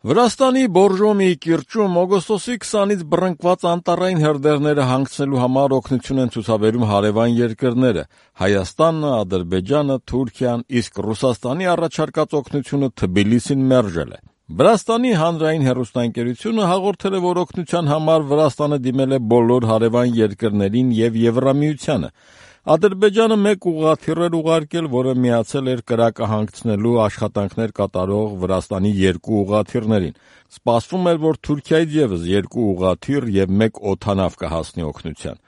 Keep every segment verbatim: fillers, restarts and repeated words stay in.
Վրաստանի Բորժոմիի կիրճում օգոստոսի քսանից բռնկված անտառային հրդեհները հանգցնելու համար օգնություն են ցուցաբերում հարևան երկրները՝ Հայաստանը, Ադրբեջանը, Թուրքիան, իսկ Ռուսաստանի առաջարկած օգնությունը Թբիլիսին մերժել է։ Վրաստանի հանրային հեռուստաընկերությունը հաղորդել է, որ օգնության համար Վրաստանը դիմել է բոլոր հարևան երկրներին և Եվրամիությանը։ Ադրբեջանը մեկ ուղղաթիռ էր ուղարկել, որը միացել էր կրակը հանգցնելու աշխատանքներ կատարող Վրաստանի երկու ուղղաթիռներին։ Սպասվում էր, որ Թուրքիայից ևս երկու ուղղաթիռ և մեկ օդանավ կհասնի օգնության։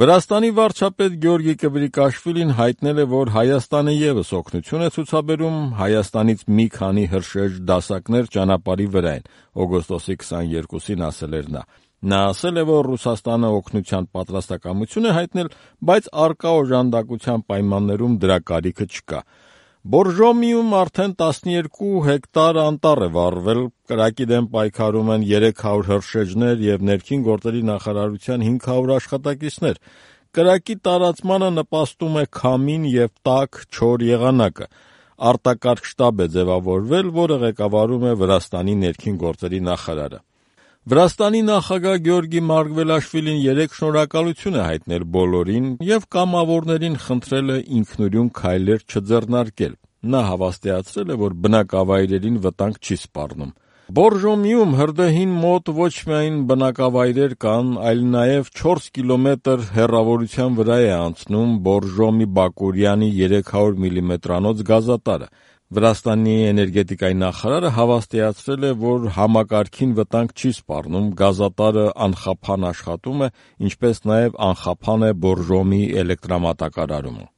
Վրաստանի վարչապետ Գյորգի Կվրիկաշվիլին հայտնել է, որ Հայաստանը ևս օգնություն է ցուցաբերում, Հայաստանից մի քանի հրշեջ դասակներ ճանապարհի վրա են, օգոստոսի քսաներկուսին ասել էր նա։ Նա ասել է, որ Ռուսաստանը օգնության պատրաստակամություն է հայտնել, բայց առկա օժանդակության պայմաններում դրա կարիքը չկա։ Բորժոմիում արդեն տասներկու հեկտար անտառ է վառվել, կրակի դեմ պայքարում են երեք հարյուր հրշեջներ և ներքին գործերի նախարարության հինգ հարյուր աշխատակիցներ։ Կրակի տարածմանը նպաստում է քամին և տաք, չոր եղանակը։ Արտակարգ շտաբ է ձևավորվել, որը ղեկավարում է Վրաստանի ներքին գործերի նախարարը։ Վրաստանի նախագահ Գյորգի Մարգվելաշվիլին երեկ շնորհակալություն է հայտնել բոլորին և կամավորներին խնդրել է ինքնուրույն քայլեր չձեռնարկել։ Նա հավաստիացրել է, որ բնակավայրերին վտանգ չի սպառնում։ Բորժոմիում հրդեհին մոտ ոչ միայն բնակավայրեր կան, այլ նաև չորս կիլոմետր հեռավորության վրա է անցնում Բորժոմի-Բակուրյանի երեք հարյուր միլիմետրանոց գազատարը։ Վրաստանի էներգետիկայի նախարարը հավաստիացրել է, որ համակարգին վտանգ չի սպառնում, գազատարը անխափան աշխատում է, ինչպես նաև անխափան է Բորժոմի էլեկտրամատակարարումը։